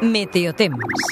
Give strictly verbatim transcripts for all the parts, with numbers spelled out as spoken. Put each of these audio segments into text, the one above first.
Meteotemps.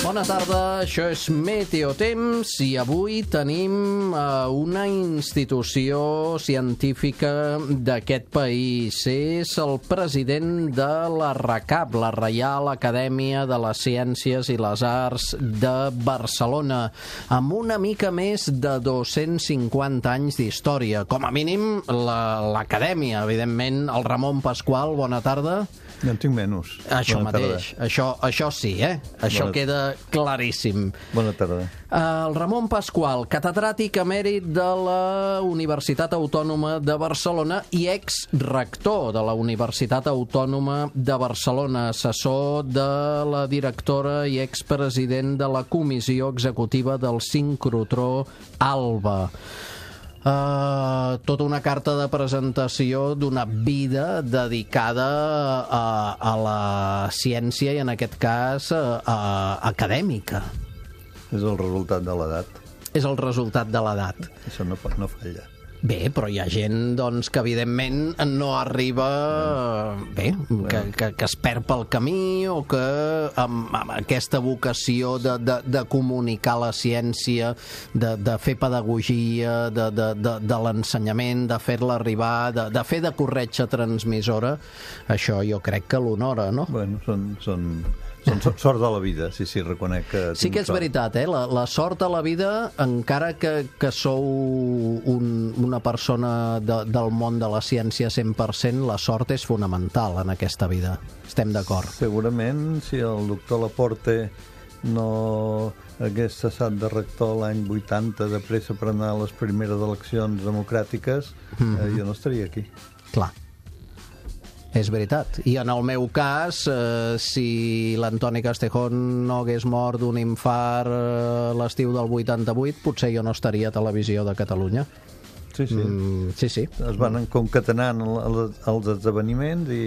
Bona tarda, això és Meteotemps i avui tenim uh, una institució científica d'aquest país. És el president de la RACAB, la Reial Acadèmia de les Ciències i les Arts de Barcelona, amb una mica més de dos-cents cinquanta anys d'història. Com a mínim, l'acadèmia, evidentment. El Ramon Pasqual, bona tarda. Jo en tinc menys. Això Bona mateix, això, això sí, eh? Això Bona... queda claríssim. Bona tarda. El Ramon Pasqual, catedràtic emèrit de la Universitat Autònoma de Barcelona i ex-rector de la Universitat Autònoma de Barcelona, assessor de la directora i expresident de la Comissió Executiva del Sincrotró ALBA. Uh, tota una carta de presentació d'una vida dedicada a, a la ciència i en aquest cas a, a, acadèmica. És el resultat de l'edat. És el resultat de l'edat. Això no, no falla. Bé, però hi ha gent doncs, que evidentment no arriba bé, que, que, que es perd pel camí o que amb, amb aquesta vocació de, de, de comunicar la ciència, de, de fer pedagogia, de, de, de, de l'ensenyament, de fer-la arribar, de, de fer de corretja transmissora, això jo crec que l'honora, no? Bueno, són... són... Són sort de la vida, sí, sí, reconec que... Sí que és veritat, eh? La, la sort de la vida, encara que, que sou un, una persona de, del món de la ciència cent per cent, la sort és fonamental en aquesta vida. Estem d'acord. Segurament, si el doctor Laporte no hagués cessat de rector l'any vuitanta de pressa per anar a les primeres eleccions democràtiques, mm-hmm. eh, jo no estaria aquí. Clar. És veritat. I en el meu cas, eh, si l'Antoni Castejón no hagués mort d'un infart eh, l'estiu del vuitanta-vuit, potser jo no estaria a Televisió de Catalunya. Sí, sí. Mm, sí, sí. Es van concatenant els esdeveniments i...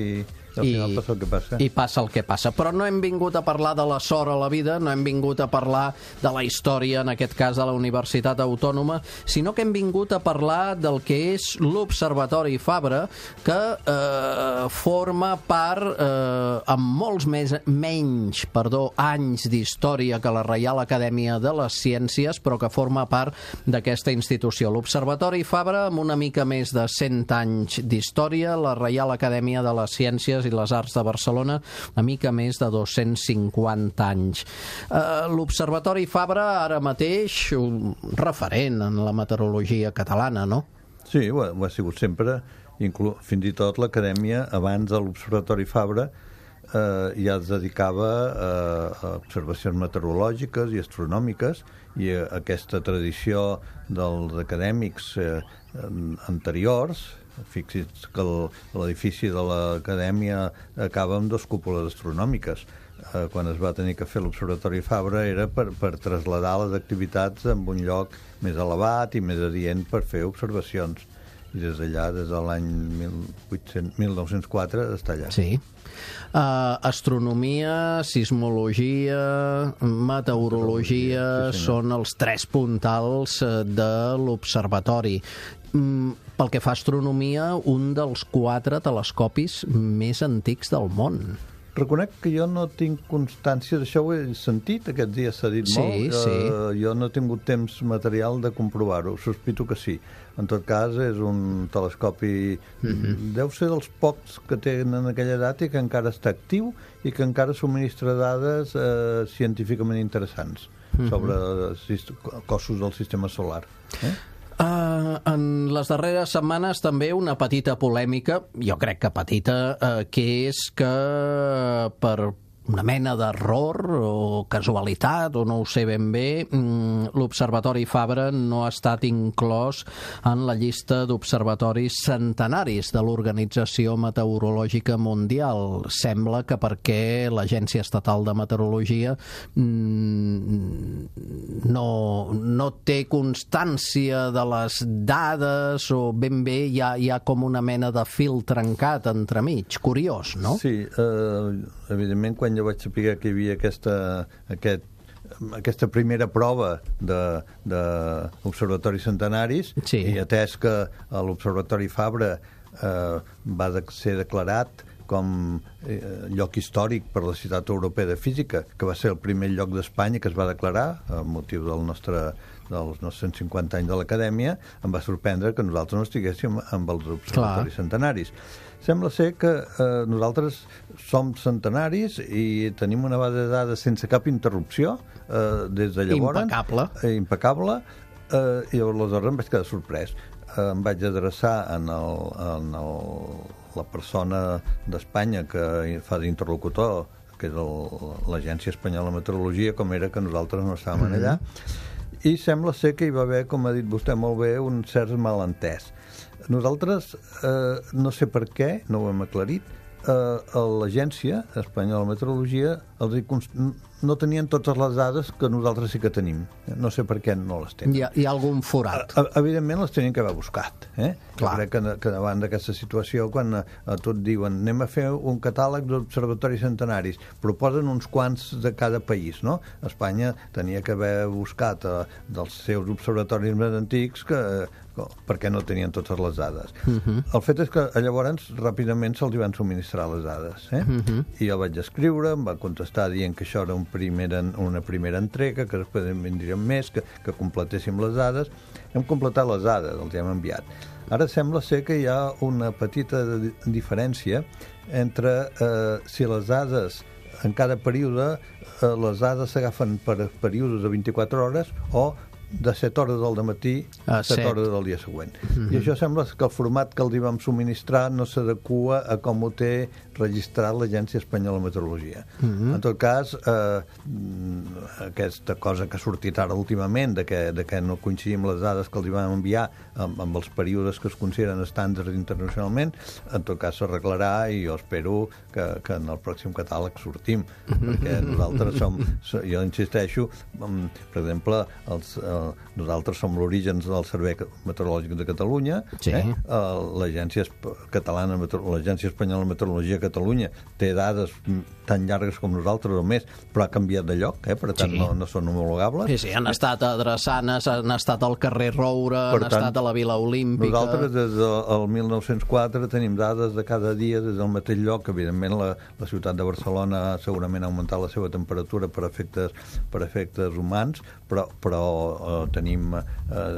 al final I, passa el que passa. I passa el que passa. Però no hem vingut a parlar de la sort a la vida, no hem vingut a parlar de la història, en aquest cas de la Universitat Autònoma, sinó que hem vingut a parlar del que és l'Observatori Fabra, que eh, forma part, eh, amb molts més, menys perdó, anys d'història que la Reial Acadèmia de les Ciències, però que forma part d'aquesta institució. L'Observatori Fabra, amb una mica més de cent anys d'història, la Reial Acadèmia de les Ciències i les Arts de Barcelona, una mica més de dos-cents cinquanta anys. Uh, L'Observatori Fabra, ara mateix, un referent en la meteorologia catalana, no? Sí, ho ha, ho ha sigut sempre, inclú, fins i tot l'Acadèmia, abans de l'Observatori Fabra, eh, ja es dedicava a, a observacions meteorològiques i astronòmiques, i a, a aquesta tradició dels acadèmics eh, anteriors. Fixi's que l'edifici de l'Acadèmia acaba amb dues cúpules astronòmiques. Eh, quan es va tenir que fer l'Observatori Fabra era per, per traslladar les activitats en un lloc més elevat i més adient per fer observacions. I des d'allà, des de l'any mil nou-cents quatre, està allà. Sí. Uh, astronomia, sismologia, meteorologia, sí, són els tres puntals de l'observatori. Mm, pel que fa a astronomia, un dels quatre telescopis més antics del món. Reconec que jo no tinc constància d'això, ho he sentit, aquests dies s'ha dit sí, molt. Sí. Uh, jo no he tingut temps material de comprovar-ho, sospito que sí. En tot cas, és un telescopi... Mm-hmm. Deu ser dels pocs que tenen aquella data i que encara està actiu i que encara subministra dades eh, científicament interessants mm-hmm. sobre cossos del sistema solar. Eh? Uh, en les darreres setmanes també una petita polèmica, jo crec que petita, uh, que és que per una mena d'error o casualitat, o no ho sé ben bé, l'Observatori Fabra no ha estat inclòs en la llista d'observatoris centenaris de l'Organització Meteorològica Mundial. Sembla que perquè l'Agència Estatal de Meteorologia no, no té constància de les dades, o ben bé hi ha, hi ha com una mena de fil trencat entremig. Curiós, no? Sí, eh, evidentment, quan jo vaig saber que hi havia aquesta, aquest aquesta primera prova d'observatoris centenaris, sí. i atès que l'Observatori Fabra eh, va de ser declarat com eh, lloc històric per la Societat Europea de Física, que va ser el primer lloc d'Espanya que es va declarar a motiu del nostre, dels nostres cent cinquanta anys de l'Acadèmia, em va sorprendre que nosaltres no estiguéssim amb els observatoris Clar. centenaris. Sembla ser que eh, nosaltres som centenaris i tenim una base de dades sense cap interrupció eh, des de llavors. Impecable. Eh, impecable. Eh, I aleshores em vaig quedar sorprès. Eh, em vaig adreçar en, el, en el, la persona d'Espanya que fa d'interlocutor, que és l'Agència Espanyola de Meteorologia, com era que nosaltres no estàvem mm-hmm. allà, i sembla ser que hi va haver, com ha dit vostè molt bé, un cert malentès. Nosaltres, eh, no sé per què, no ho hem aclarit, eh, l'Agència Espanyola de Meteorologia els hi const... no tenien totes les dades que nosaltres sí que tenim. No sé per què no les tenen. Hi ha, hi ha algun forat. A, evidentment les tenien que haver buscat. Eh? Clar. Jo crec que, que davant d'aquesta situació, quan a, a tot diuen anem a fer un catàleg d'observatoris centenaris, proposen uns quants de cada país, no? Espanya tenia que haver buscat eh, dels seus observatoris més antics que perquè no tenien totes les dades. Uh-huh. El fet és que llavors ràpidament se'ls van subministrar les dades. Eh? Uh-huh. I jo vaig escriure, em va contestar dient que això era un primera, una primera entrega, que després en vindrien més, que, que completéssim les dades. Hem completat les dades, els hem enviat. Ara sembla ser que hi ha una petita diferència entre eh, si les dades en cada període, eh, les dades s'agafen per períodes de vint-i-quatre hores o de set hores del dematí a set hores del dia següent. Mm-hmm. I això sembla que el format que els hi vam subministrar no s'adequa a com ho té registrat l'Agència Espanyola de Meteorologia. Mm-hmm. En tot cas, eh, aquesta cosa que ha sortit ara últimament, de que, de que no coincidim les dades que els hi vam enviar amb, amb els períodes que es consideren estàndards internacionalment, en tot cas s'arreglarà i jo espero que, que en el pròxim catàleg sortim, mm-hmm. perquè nosaltres som, jo insisteixo, per exemple, els nosaltres som l'origen del Servei Meteorològic de Catalunya, sí. eh? l'Agència Catalana, l'Agència Espanyola de Meteorologia de Catalunya té dades tan llargues com nosaltres o més, però ha canviat de lloc, eh? per tant sí. no, no són homologables. Sí, sí, han estat a Drassanes, han estat al carrer Roure, per han tant, estat a la Vila Olímpica... Nosaltres des del mil nou-cents quatre tenim dades de cada dia des del mateix lloc. Evidentment la, la ciutat de Barcelona segurament ha augmentat la seva temperatura per efectes, per efectes humans, però, però eh, tenim eh,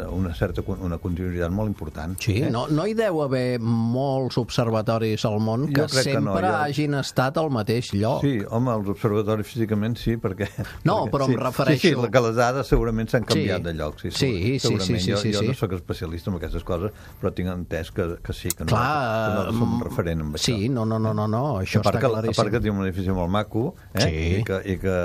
una certa una continuïtat molt important. Sí, eh? no, no hi deu haver molts observatoris al món que sempre que no, jo... hagin estat al mateix lloc. Sí, home, els observatoris físicament sí, perquè... No, perquè, però sí, em refereixo... Sí, sí, que les dades segurament s'han canviat sí. de lloc. Sí, sí, sí, sí, sí, jo, sí, jo sí. no sóc especialista en aquestes coses, però tinc entès que, que sí, que, Clar, no, que no som referent amb sí, això. no, no, no, no, no això està que, claríssim. A part que tenim un edifici molt maco, eh? sí. I, que, i, que,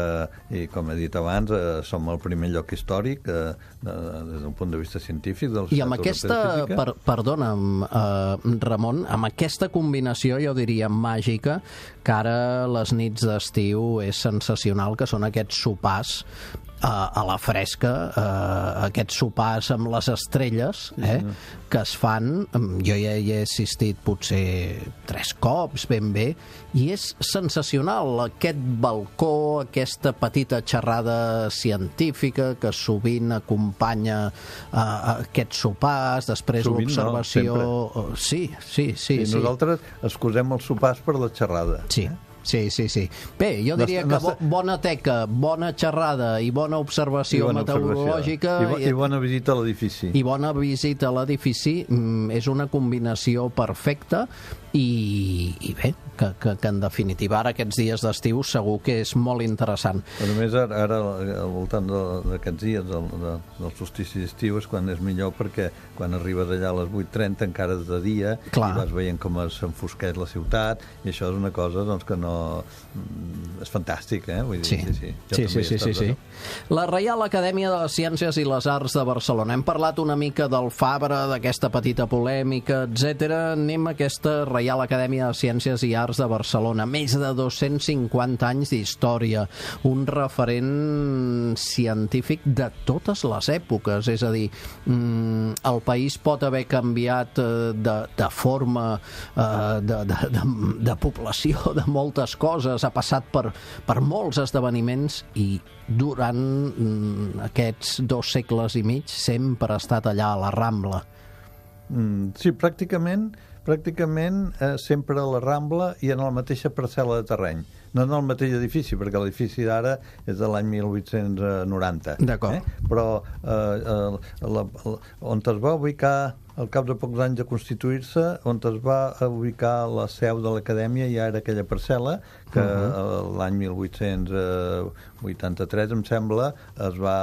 i com he dit abans, eh, som el primer lloc històric eh, des d'un punt de vista científic del I amb aquesta, per, perdona'm, eh, Ramon, amb aquesta combinació, jo diria màgica, que ara les nits d'estiu és sensacional, que són aquests sopars a, a la fresca, eh, aquests sopars amb les estrelles, eh, sí, que es fan, jo ja hi he assistit potser tres cops ben bé, i és sensacional aquest balcó, aquesta petita xerrada científica que sovint acompanya uh, aquests sopars, després sovint l'observació... No, sí, sí, sí, sí. Nosaltres excusem els sopars per la xerrada. Sí. Eh? Sí, sí, sí. Bé, jo diria que bo, bona teca, bona xerrada i bona observació I bona meteorològica... Observació. I, bo, I bona visita a l'edifici. I bona visita a l'edifici mm, és una combinació perfecta i, i bé, que, que, que en definitiva ara aquests dies d'estiu segur que és molt interessant. A més, ara, ara al voltant d'aquests dies del, de, del solstici d'estiu és quan és millor, perquè quan arribes allà a les vuit trenta encara és de dia, Clar. I vas veient com s'enfosqueix la ciutat, i això és una cosa doncs, que no... és fantàstic, eh? Vull dir, sí, sí, sí. sí, sí, sí, sí, sí. La Reial Acadèmia de les Ciències i les Arts de Barcelona. Hem parlat una mica del Fabra, d'aquesta petita polèmica, etcètera. Anem a aquesta Reial Acadèmia de Ciències i Arts Arts de Barcelona, més de dos-cents cinquanta anys d'història, un referent científic de totes les èpoques, és a dir, el país pot haver canviat de, de forma, de, de, de, de població, de moltes coses, ha passat per, per molts esdeveniments i durant aquests dos segles i mig sempre ha estat allà a la Rambla. Mm, sí, pràcticament, pràcticament eh, sempre a la Rambla i en la mateixa parcel·la de terreny. No en el mateix edifici, perquè l'edifici d'ara és de l'any mil vuit-cents noranta. D'acord. Eh? Però eh, eh, la, la, on es va ubicar, al cap de pocs anys de constituir-se, on es va ubicar la seu de l'acadèmia ja era aquella parcel·la que uh-huh. l'any mil vuit-cents vuitanta-tres, em sembla, es va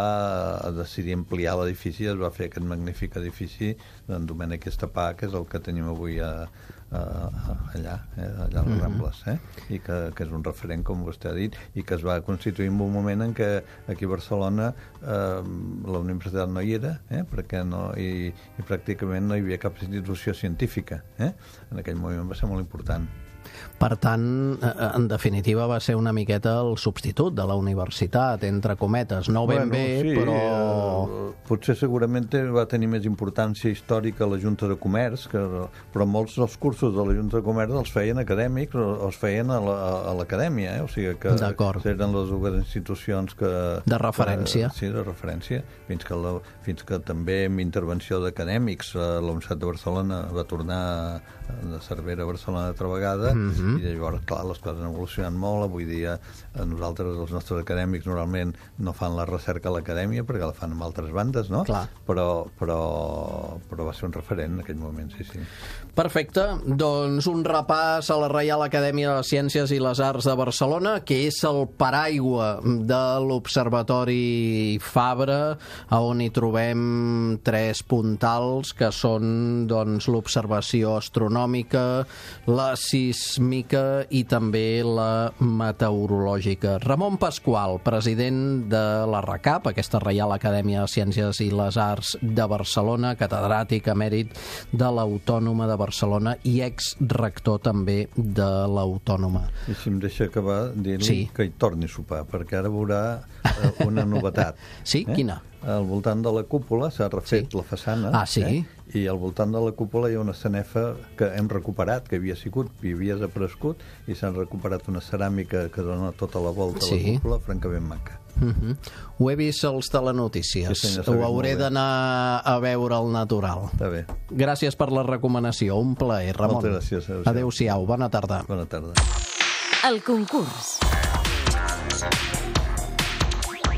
decidir ampliar l'edifici, es va fer aquest magnífic edifici d'en Domènec Estapà, que és el que tenim avui a, a, a, allà, eh, allà a les Rambles, eh? I que, que és un referent, com vostè ha dit, i que es va constituir en un moment en què aquí a Barcelona eh, la universitat no hi era, eh? Perquè no, i, i pràcticament no hi havia cap institució científica, eh? En aquell moment va ser molt important. Per tant, en definitiva, va ser una miqueta el substitut de la universitat, entre cometes. No ben bueno, bé, sí, però... Eh, potser segurament va tenir més importància històrica la Junta de Comerç, que, però molts dels cursos de la Junta de Comerç els feien acadèmics, els feien a l'acadèmia, la, eh? O sigui que eren les dues institucions que... De referència. Que, sí, de referència, fins que, la, fins que també amb intervenció d'acadèmics la Universitat de Barcelona va tornar de Cervera a Barcelona altra vegada, mm-hmm. i llavors, clar, les coses han evolucionat molt. Avui dia nosaltres, els nostres acadèmics, normalment no fan la recerca a l'acadèmia perquè la fan amb altres bandes, no? Clar. Però, però, però va ser un referent en aquell moment, sí, sí. Perfecte. Doncs un repàs a la Reial Acadèmia de les Ciències i les Arts de Barcelona, que és el paraigua de l'Observatori Fabra, on hi trobem tres puntals, que són doncs, l'observació astronòmica, la sísmica i també la meteorològica. Ramon Pasqual, president de la RACAP, aquesta Reial Acadèmia de Ciències i les Arts de Barcelona, catedràtic emèrit de l'Autònoma de Barcelona i ex-rector també de l'Autònoma. I si em deixa acabar dient-li sí. que hi torni a sopar, perquè ara veurà eh, una novetat. Sí? Eh? Quina? Al voltant de la cúpula s'ha refet sí. la façana, ah, sí? eh? I al voltant de la cúpula hi ha una sanefa que hem recuperat, que havia sigut i havia desaparegut, i s'han recuperat una ceràmica que dona tota la volta sí. a la cúpula, francament maca. Uh-huh. Ho he vist als telenotícies. Sí, senyor, ho hauré d'anar a veure al natural. Està bé. Gràcies per la recomanació. Un plaer, Ramon. Moltes gràcies. Adéu-siau. Adéu-siau. Bona tarda. Bona tarda. El concurs.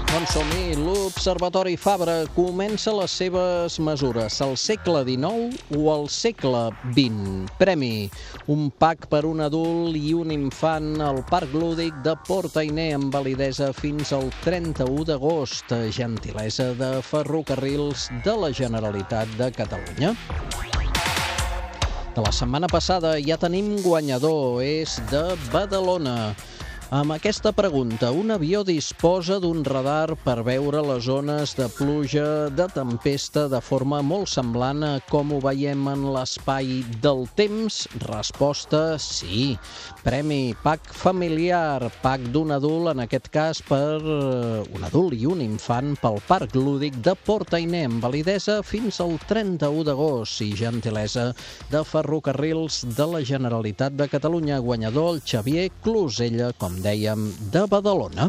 Doncs som-hi. L'Observatori Fabra comença les seves mesures al segle dinou o al segle vint. Premi: un pack per un adult i un infant al Parc Lúdic de Port Ainé amb validesa fins al trenta-u d'agost. Gentilesa de Ferrocarrils de la Generalitat de Catalunya. De la setmana passada ja tenim guanyador, és de Badalona. Amb aquesta pregunta, un avió disposa d'un radar per veure les zones de pluja, de tempesta, de forma molt semblant a com ho veiem en l'espai del temps? Resposta, sí. Premi: pack familiar, pack d'un adult, en aquest cas per un adult i un infant, pel Parc Lúdic de Port Ainé, amb validesa fins al trenta-u d'agost i gentilesa de Ferrocarrils de la Generalitat de Catalunya. Guanyador el Xavier Closella, com dèiem, de Badalona.